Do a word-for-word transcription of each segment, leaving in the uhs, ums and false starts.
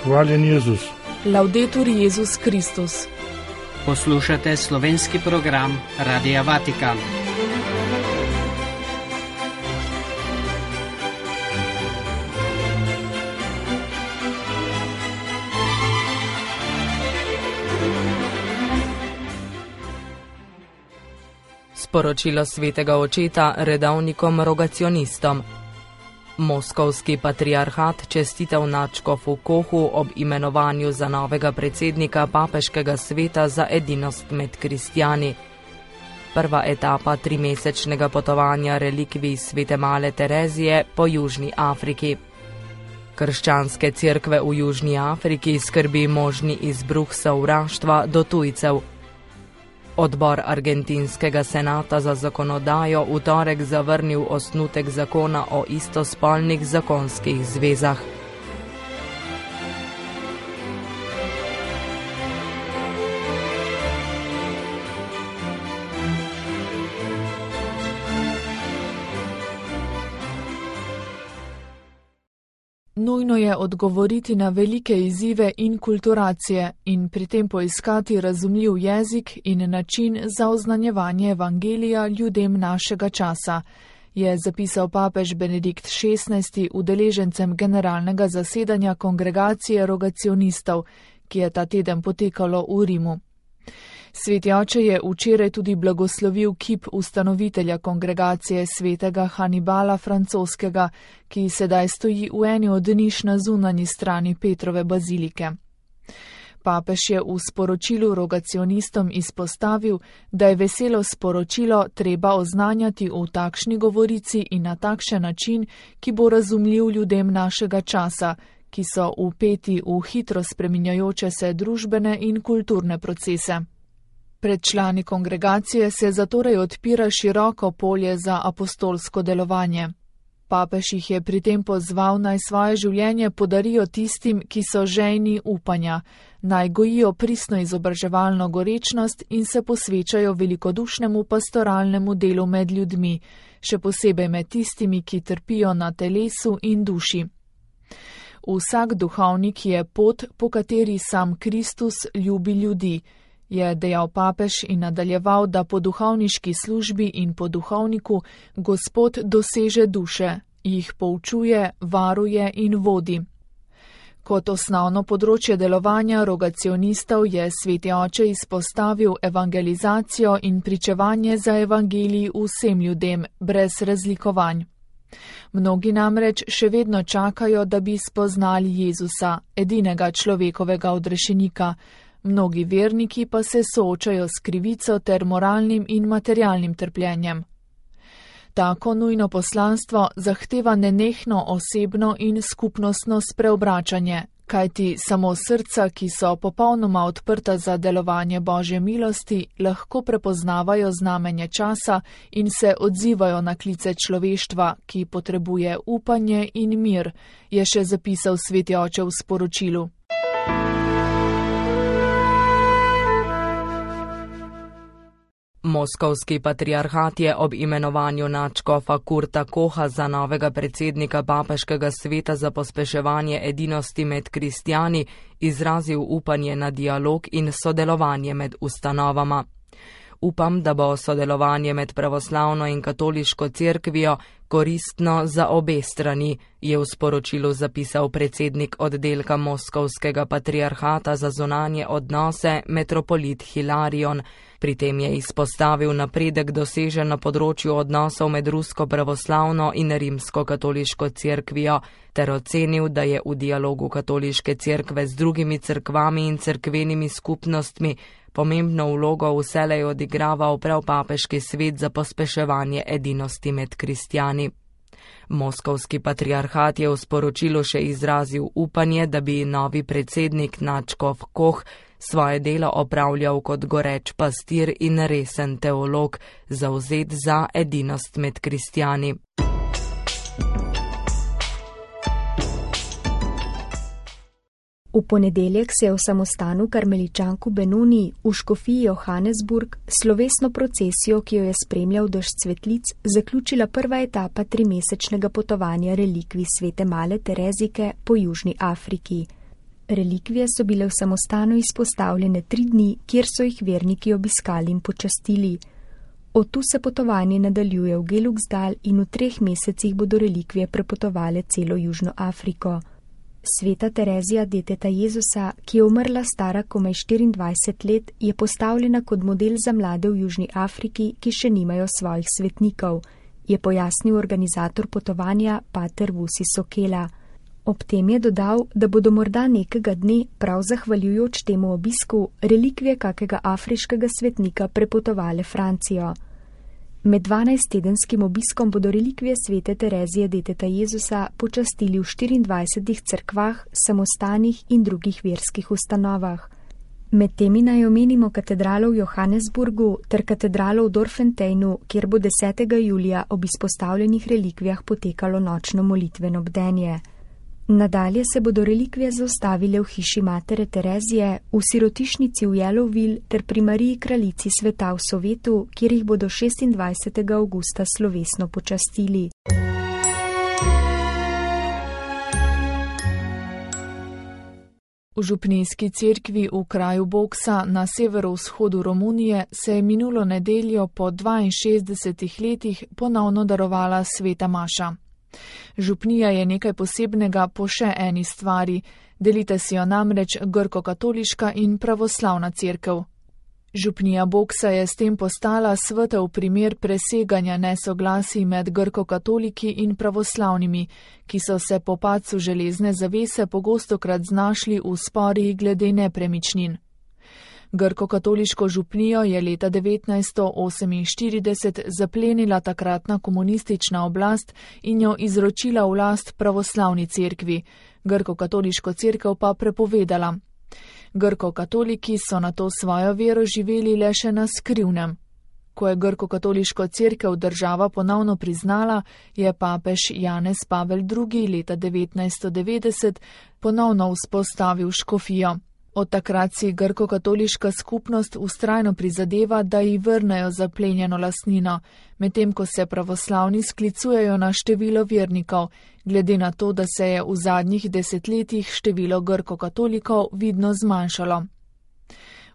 Hvaljen Jezus. Laudetur Jezus Kristus. Poslušate slovenski program Radia Vatikan. Sporočilo svetega očeta redovnikom rogacionistom. Moskovski patriarhat čestitev nadškofu Kohu ob imenovanju za novega predsednika papeškega sveta za edinost med kristjani. Prva etapa trimesečnega potovanja relikvij svete male Terezije po Južni Afriki. Krščanske cerkve v Južni Afriki skrbi možni izbruh sovraštva do tujcev. Odbor argentinskega senata za zakonodajo v torek zavrnil osnutek zakona o istospolnih zakonskih zvezah. Nujno je odgovoriti na velike izzive inkulturacije in pri tem poiskati razumljiv jezik in način za oznanjevanje evangelija ljudem našega časa, je zapisal papež Benedikt šestnajsti udeležencem generalnega zasedanja kongregacije rogacionistov, ki je ta teden potekalo v Rimu. Sveti oče je včeraj tudi blagoslovil kip ustanovitelja kongregacije svetega Hanibala Francoskega, ki sedaj stoji v eni od niš na zunanji strani Petrove bazilike. Papež je v sporočilu rogacionistom izpostavil, da je veselo sporočilo treba oznanjati v takšni govorici in na takšen način, ki bo razumljiv ljudem našega časa, ki so vpeti v hitro spreminjajoče se družbene in kulturne procese. Pred člani kongregacije se zatorej odpira široko polje za apostolsko delovanje. Papež jih je pri tem pozval, naj svoje življenje podarijo tistim, ki so žejni upanja, naj gojijo pristno izobraževalno gorečnost in se posvečajo velikodušnemu pastoralnemu delu med ljudmi, še posebej med tistimi, ki trpijo na telesu in duši. Vsak duhovnik je pot, po kateri sam Kristus ljubi ljudi, je dejal papež in nadaljeval, da po duhovniški službi in po duhovniku Gospod doseže duše, jih poučuje, varuje in vodi. Kot osnovno področje delovanja rogacionistov je sveti oče izpostavil evangelizacijo in pričevanje za evangelij vsem ljudem, brez razlikovanj. Mnogi namreč še vedno čakajo, da bi spoznali Jezusa, edinega človekovega odrešenika, mnogi verniki pa se soočajo s krivico ter moralnim in materialnim trpljenjem. Tako nujno poslanstvo zahteva nenehno osebno in skupnostno spreobračanje, kajti samo srca, ki so popolnoma odprta za delovanje Božje milosti, lahko prepoznavajo znamenje časa in se odzivajo na klice človeštva, ki potrebuje upanje in mir, je še zapisal sveti oče v sporočilu. Moskovski patriarhat je ob imenovanju nadškofa Kurta Koha za novega predsednika papeškega sveta za pospeševanje edinosti med kristjani izrazil upanje na dialog in sodelovanje med ustanovama. Upam, da bo sodelovanje med pravoslavno in katoliško cerkvijo koristno za obe strani, je v sporočilu zapisal predsednik oddelka Moskovskega patriarhata za zunanje odnose metropolit Hilarion. Pri tem je izpostavil napredek dosežen na področju odnosov med rusko pravoslavno in rimsko-katoliško cerkvijo, ter ocenil, da je v dialogu katoliške cerkve z drugimi cerkvami in cerkvenimi skupnostmi pomembno vlogo vselej odigraval prav papeški svet za pospeševanje edinosti med kristjani. Moskovski patriarhat je v sporočilu še izrazil upanje, da bi novi predsednik nadškof Koh svoje delo opravljal kot goreč pastir in resen teolog, zavzet za edinost med kristjani. V ponedeljek se je v samostanu karmeličanku Benoni v škofiji Johannesburg slovesno procesijo, ki jo je spremljal dež cvetlic, zaključila prva etapa trimesečnega potovanja relikvij svete male Terezike po Južni Afriki. Relikvije so bile v samostanu izpostavljene tri dni, kjer so jih verniki obiskali in počastili. Od tu se potovanje nadaljuje v Geluksdal in v treh mesecih bodo relikvije prepotovale celo Južno Afriko. Sveta Terezija, deteta Jezusa, ki je umrla stara komaj štiriindvajset let, je postavljena kot model za mlade v Južni Afriki, ki še nimajo svojih svetnikov, je pojasnil organizator potovanja pater Vusi Sokela. Ob tem je dodal, da bodo morda nekega dne, prav zahvaljujoč temu obisku, relikvije kakega afriškega svetnika prepotovale Francijo. Med dvanajsttedenskim obiskom bodo relikvije svete Terezije, deteta Jezusa, počastili v štiriindvajsetih cerkvah, samostanih in drugih verskih ustanovah. Med temi naj omenimo katedralo v Johannesburgu ter katedralo v Dorfenteinu, kjer bo desetega julija ob izpostavljenih relikvijah potekalo nočno molitveno bdenje. Nadalje se bodo relikvije zaustavile v hiši matere Terezije, v sirotišnici v Yellowville ter pri Mariji kraljici sveta v Sovetu, kjer jih bodo šestindvajsetega avgusta slovesno počastili. V župnijski cerkvi v kraju Boksa na severovzhodu Romunije se je minulo nedeljo po dvainšestdesetih letih ponovno darovala sveta maša. Župnija je nekaj posebnega po še eni stvari, delite si jo namreč grko-katoliška in pravoslavna cerkev. Župnija Boksa je s tem postala svetel primer preseganja nesoglasij med grko-katoliki in pravoslavnimi, ki so se po padcu železne zavese pogostokrat znašli v sporih glede nepremičnin. Grko-katoliško župnijo je leta devetnajststo oseminštirideset zaplenila takratna komunistična oblast in jo izročila v last pravoslavni cerkvi, grko-katoliško cerkev pa prepovedala. Grko-katoliki so nato svojo vero živeli le še na skrivnem. Ko je grko-katoliško cerkev država ponovno priznala, je papež Janez Pavel drugi. leta devetnajststo devetdeset ponovno vzpostavil škofijo. Od takrat si grko-katoliška skupnost vztrajno prizadeva, da ji vrnejo zaplenjeno lastnino, medtem ko se pravoslavni sklicujejo na število vernikov, glede na to, da se je v zadnjih desetletjih število grko-katolikov vidno zmanjšalo.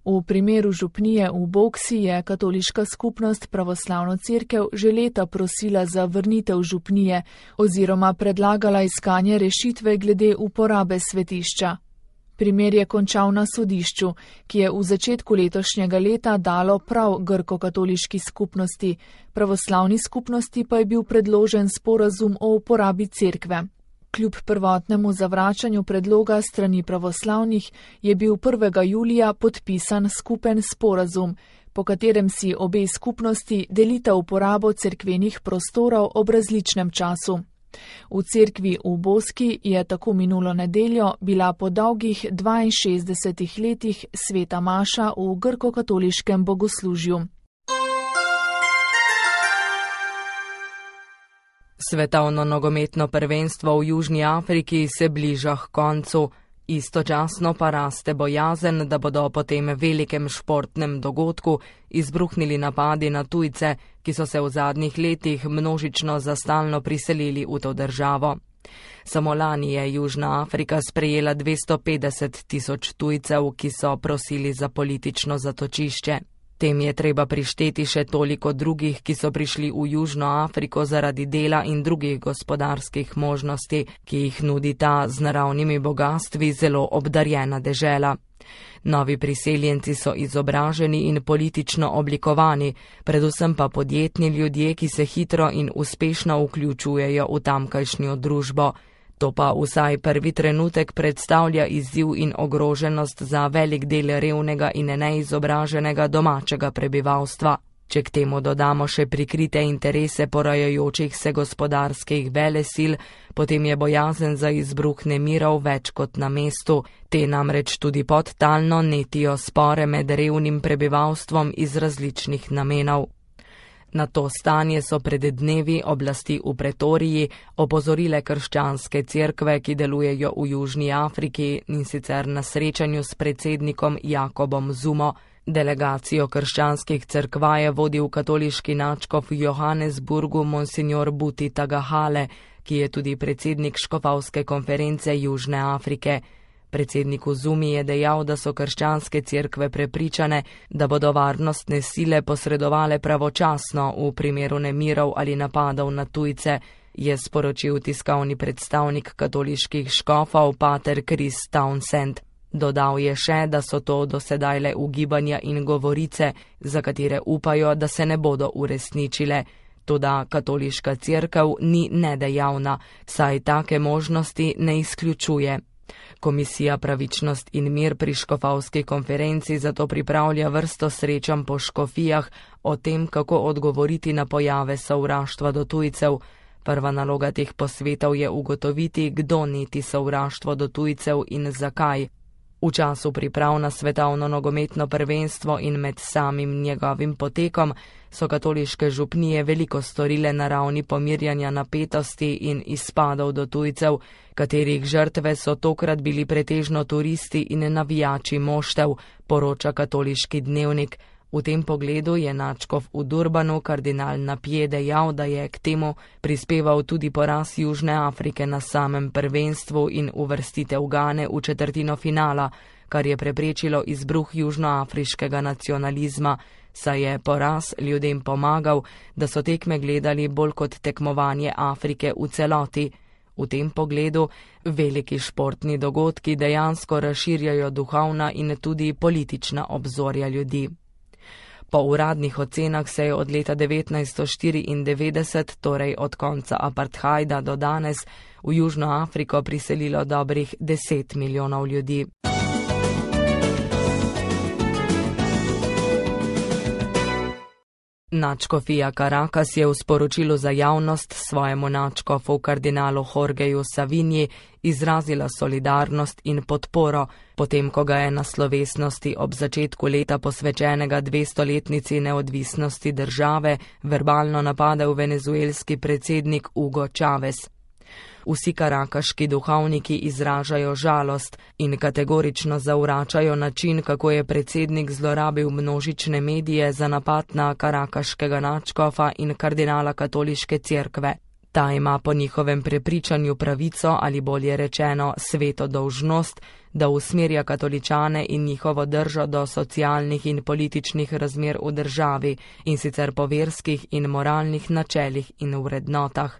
V primeru župnije v Boksi je katoliška skupnost pravoslavno cerkev že leta prosila za vrnitev župnije oziroma predlagala iskanje rešitve glede uporabe svetišča. Primer je končal na sodišču, ki je v začetku letošnjega leta dalo prav grko-katoliški skupnosti, pravoslavni skupnosti pa je bil predložen sporazum o uporabi cerkve. Kljub prvotnemu zavračanju predloga strani pravoslavnih je bil prvega julija podpisan skupen sporazum, po katerem si obe skupnosti delita uporabo cerkvenih prostorov ob različnem času. V cerkvi v Boski je tako minulo nedeljo bila po dolgih dvainšestdesetih letih sveta maša v grko-katoliškem bogoslužju. Svetovno nogometno prvenstvo v Južni Afriki se bliža k koncu. Istočasno pa raste bojazen, da bodo po tem velikem športnem dogodku izbruhnili napadi na tujce, ki so se v zadnjih letih množično zastalno priselili v to državo. Samo lani je Južna Afrika sprejela dvesto petdeset tisoč tujcev, ki so prosili za politično zatočišče. Tem je treba prišteti še toliko drugih, ki so prišli v Južno Afriko zaradi dela in drugih gospodarskih možnosti, ki jih nudi ta z naravnimi bogastvi zelo obdarjena dežela. Novi priseljenci so izobraženi in politično oblikovani, predvsem pa podjetni ljudje, ki se hitro in uspešno vključujejo v tamkajšnjo družbo. To pa vsaj prvi trenutek predstavlja izziv in ogroženost za velik del revnega in neizobraženega domačega prebivalstva. Če k temu dodamo še prikrite interese porajajočih se gospodarskih velesil, potem je bojazen za izbruh nemirov več kot na mestu. Te namreč tudi podtalno netijo spore med revnim prebivalstvom iz različnih namenov. Na to stanje so pred dnevi oblasti v Pretoriji opozorile krščanske cerkve, ki delujejo v Južni Afriki, in sicer na srečanju s predsednikom Jakobom Zumo. Delegacijo krščanskih cerkva je vodil katoliški nadškof v Johannesburgu monsignor Buti Tagahale, ki je tudi predsednik škofovske konference Južne Afrike. Predsednik Uzumi je dejal, da so krščanske cerkve prepričane, da bodo varnostne sile posredovale pravočasno v primeru nemirov ali napadov na tujce, je sporočil tiskovni predstavnik katoliških škofov pater Chris Townsend. Dodal je še, da so to dosedaj le ugibanja in govorice, za katere upajo, da se ne bodo uresničile. Toda katoliška cerkev ni nedejavna, saj take možnosti ne izključuje. Komisija Pravičnost in mir pri škofovski konferenci zato pripravlja vrsto srečanj po škofijah o tem, kako odgovoriti na pojave sovraštva do tujcev. Prva naloga teh posvetov je ugotoviti, kdo neti sovraštvo do tujcev in zakaj. V času priprav na svetovno nogometno prvenstvo in med samim njegovim potekom so katoliške župnije veliko storile na ravni pomirjanja napetosti in izpadov do tujcev, katerih žrtve so tokrat bili pretežno turisti in navijači moštev, poroča katoliški dnevnik. V tem pogledu je nadškof v Durbanu kardinal Napje dejal, da je k temu prispeval tudi poraz Južne Afrike na samem prvenstvu in uvrstitev Gane v četrtino finala, kar je preprečilo izbruh južnoafriškega nacionalizma, saj je poraz ljudem pomagal, da so tekme gledali bolj kot tekmovanje Afrike v celoti. V tem pogledu veliki športni dogodki dejansko razširjajo duhovna in tudi politična obzorja ljudi. Po uradnih ocenah se je od leta devetnajststo štiriindevetdeset, torej od konca apartheida do danes, v Južno Afriko priselilo dobrih deset milijonov ljudi. Nadškofija Caracas je v sporočilu za javnost svojemu nadškofu kardinalu Jorgeju Savinji izrazila solidarnost in podporo, potem ko ga je na slovesnosti ob začetku leta posvečenega dvestoletnici neodvisnosti države verbalno napadel venezuelski predsednik Hugo Chávez. Vsi karakaški duhovniki izražajo žalost in kategorično zavračajo način, kako je predsednik zlorabil množične medije za napad na karakaškega nadškofa in kardinala katoliške cerkve. Ta ima po njihovem prepričanju pravico ali bolje rečeno sveto dolžnost, da usmerja katoličane in njihovo držo do socialnih in političnih razmer v državi, in sicer po verskih in moralnih načelih in vrednotah.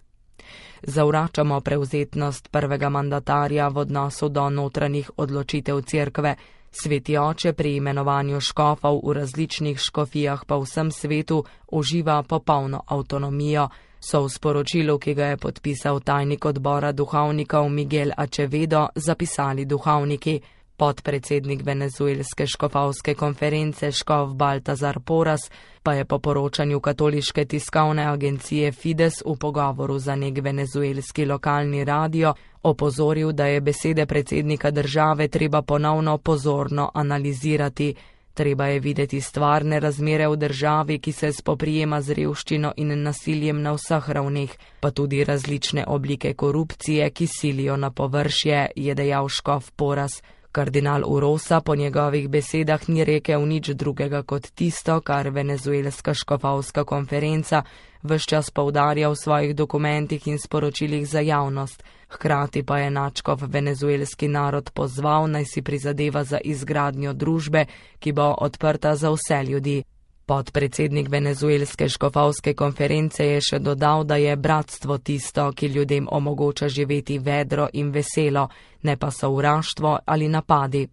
Zavračamo prevzetnost prvega mandatarja v odnosu do notranjih odločitev cerkve. Sveti oče pri imenovanju škofov v različnih škofijah po vsem svetu uživa popolno avtonomijo, so v sporočilu, ki ga je podpisal tajnik odbora duhovnikov Miguel Acevedo, zapisali duhovniki. Podpredsednik venezuelske škofovske konference škof Baltazar Porras pa je po poročanju katoliške tiskovne agencije Fides v pogovoru za nek venezuelski lokalni radio opozoril, da je besede predsednika države treba ponovno pozorno analizirati. Treba je videti stvarne razmere v državi, ki se spoprijema z revščino in nasiljem na vseh ravneh, pa tudi različne oblike korupcije, ki silijo na površje, je dejal škof Porras. Kardinal Urosa po njegovih besedah ni rekel nič drugega kot tisto, kar venezuelska škofovska konferenca ves čas poudarja v svojih dokumentih in sporočilih za javnost. Hkrati pa je nadškof venezuelski narod pozval, naj si prizadeva za izgradnjo družbe, ki bo odprta za vse ljudi. Podpredsednik venezuelske škofovske konference je še dodal, da je bratstvo tisto, ki ljudem omogoča živeti vedro in veselo, ne pa sovraštvo ali napadi.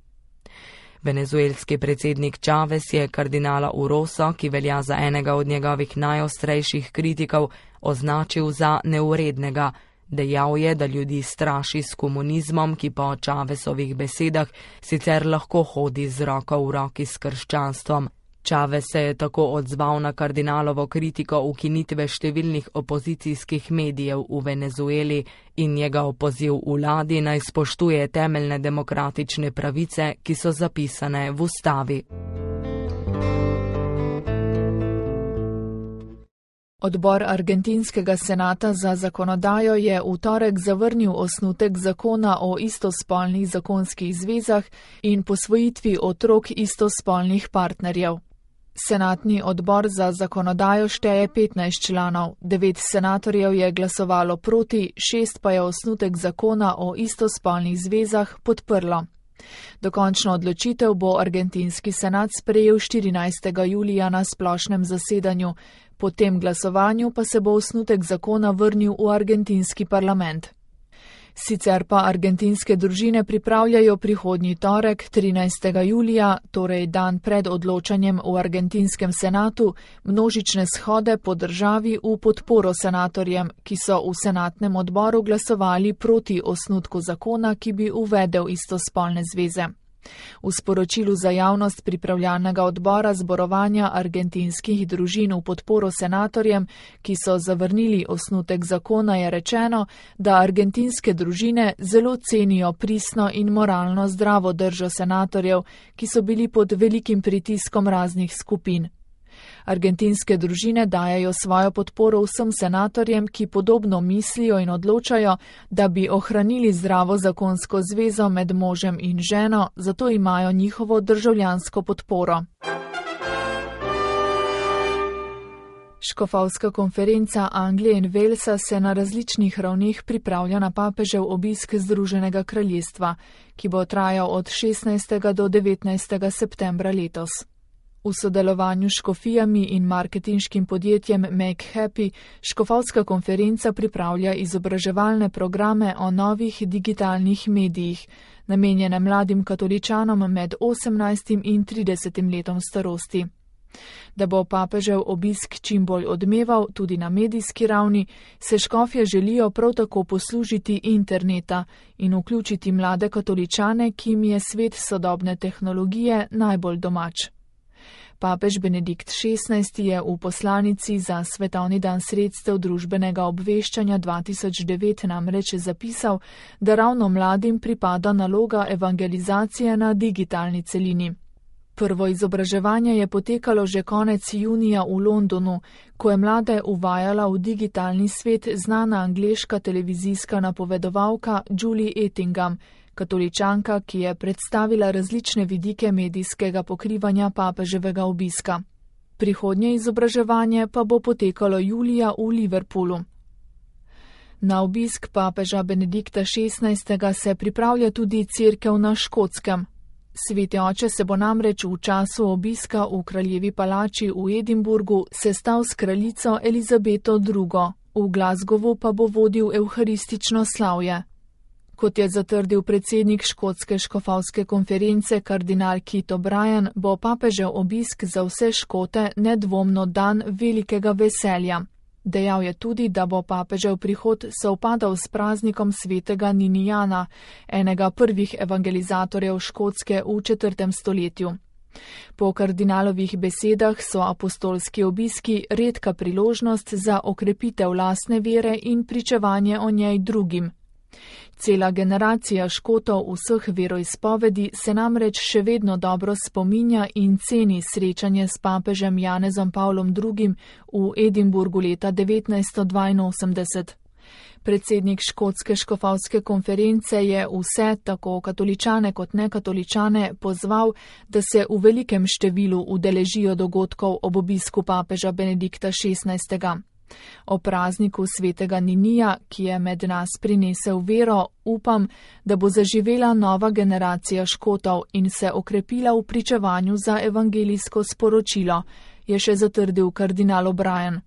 Venezuelski predsednik Chávez je kardinala Uroso, ki velja za enega od njegovih najostrejših kritikov, označil za neurednega. Dejal je, da ljudi straši s komunizmom, ki po Chávezovih besedah sicer lahko hodi z roko v roki s krščanstvom. Chávez se je tako odzval na kardinalovo kritiko ukinitve številnih opozicijskih medijev v Venezueli in njegov poziv vladi naj spoštuje temeljne demokratične pravice, ki so zapisane v ustavi. Odbor argentinskega senata za zakonodajo je v torek zavrnil osnutek zakona o istospolnih zakonskih zvezah in posvojitvi otrok istospolnih partnerjev. Senatni odbor za zakonodajo šteje petnajst članov, devet senatorjev je glasovalo proti, šest pa je osnutek zakona o istospolnih zvezah podprlo. Dokončno odločitev bo argentinski senat sprejel štirinajstega julija na splošnem zasedanju, po tem glasovanju pa se bo osnutek zakona vrnil v argentinski parlament. Sicer pa argentinske družine pripravljajo prihodnji torek, trinajstega julija, torej dan pred odločanjem v argentinskem senatu, množične shode po državi v podporo senatorjem, ki so v senatnem odboru glasovali proti osnutku zakona, ki bi uvedel istospolne zveze. V sporočilu za javnost pripravljalnega odbora zborovanja argentinskih družin v podporo senatorjem, ki so zavrnili osnutek zakona, je rečeno, da argentinske družine zelo cenijo pristno in moralno zdravo držo senatorjev, ki so bili pod velikim pritiskom raznih skupin. Argentinske družine dajajo svojo podporo vsem senatorjem, ki podobno mislijo in odločajo, da bi ohranili zdravo zakonsko zvezo med možem in ženo, zato imajo njihovo državljansko podporo. Škofovska konferenca Anglije in Walesa se na različnih ravneh pripravlja na papežev obisk Združenega kraljestva, ki bo trajal od šestnajstega do devetnajstega septembra letos. V sodelovanju s škofijami in marketinškim podjetjem Make Happy Škofovska konferenca pripravlja izobraževalne programe o novih digitalnih medijih, namenjene mladim katoličanom med osemnajstim in tridesetim letom starosti. Da bo papežev obisk čim bolj odmeval tudi na medijski ravni, se škofje želijo prav tako poslužiti interneta in vključiti mlade katoličane, ki jim je svet sodobne tehnologije najbolj domač. Papež Benedikt šestnajsti je v poslanici za Svetovni dan sredstev družbenega obveščanja dva tisoč devet namreč zapisal, da ravno mladim pripada naloga evangelizacije na digitalni celini. Prvo izobraževanje je potekalo že konec junija v Londonu, ko je mlade uvajala v digitalni svet znana angleška televizijska napovedovalka Julie Ettingham, katoličanka, ki je predstavila različne vidike medijskega pokrivanja papeževega obiska. Prihodnje izobraževanje pa bo potekalo julija v Liverpoolu. Na obisk papeža Benedikta šestnajstega se pripravlja tudi cerkev na Škotskem. Sveti oče se bo namreč v času obiska v kraljevi palači v Edinburgu sestal s kraljico Elizabeto drugo, v Glasgowu pa bo vodil evharistično slavje. Kot je zatrdil predsednik škotske škofovske konference kardinal Keith O'Brien, bo papežev obisk za vse Škote nedvomno dan velikega veselja. Dejal je tudi, da bo papežev prihod sovpadal s praznikom svetega Ninijana, enega prvih evangelizatorjev Škotske v četrtem stoletju. Po kardinalovih besedah so apostolski obiski redka priložnost za okrepitev lastne vere in pričevanje o njej drugim. Cela generacija Škotov vseh veroizpovedi se namreč še vedno dobro spominja in ceni srečanje s papežem Janezom Pavlom drugim v Edinburgu leta devetnajststo dvainosemdeset. Predsednik škotske škofovske konference je vse, tako katoličane kot nekatoličane, pozval, da se v velikem številu udeležijo dogodkov ob obisku papeža Benedikta šestnajstega. O prazniku svetega Ninija, ki je med nas prinesel vero, upam, da bo zaživela nova generacija Škotov in se okrepila v pričevanju za evangelijsko sporočilo, je še zatrdil kardinal O'Brien.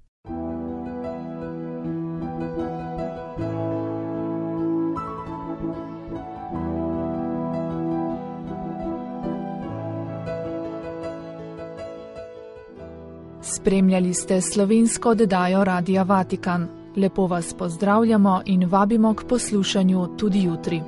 Spremljali ste slovensko oddajo Radia Vatikan. Lepo vas pozdravljamo in vabimo k poslušanju tudi jutri.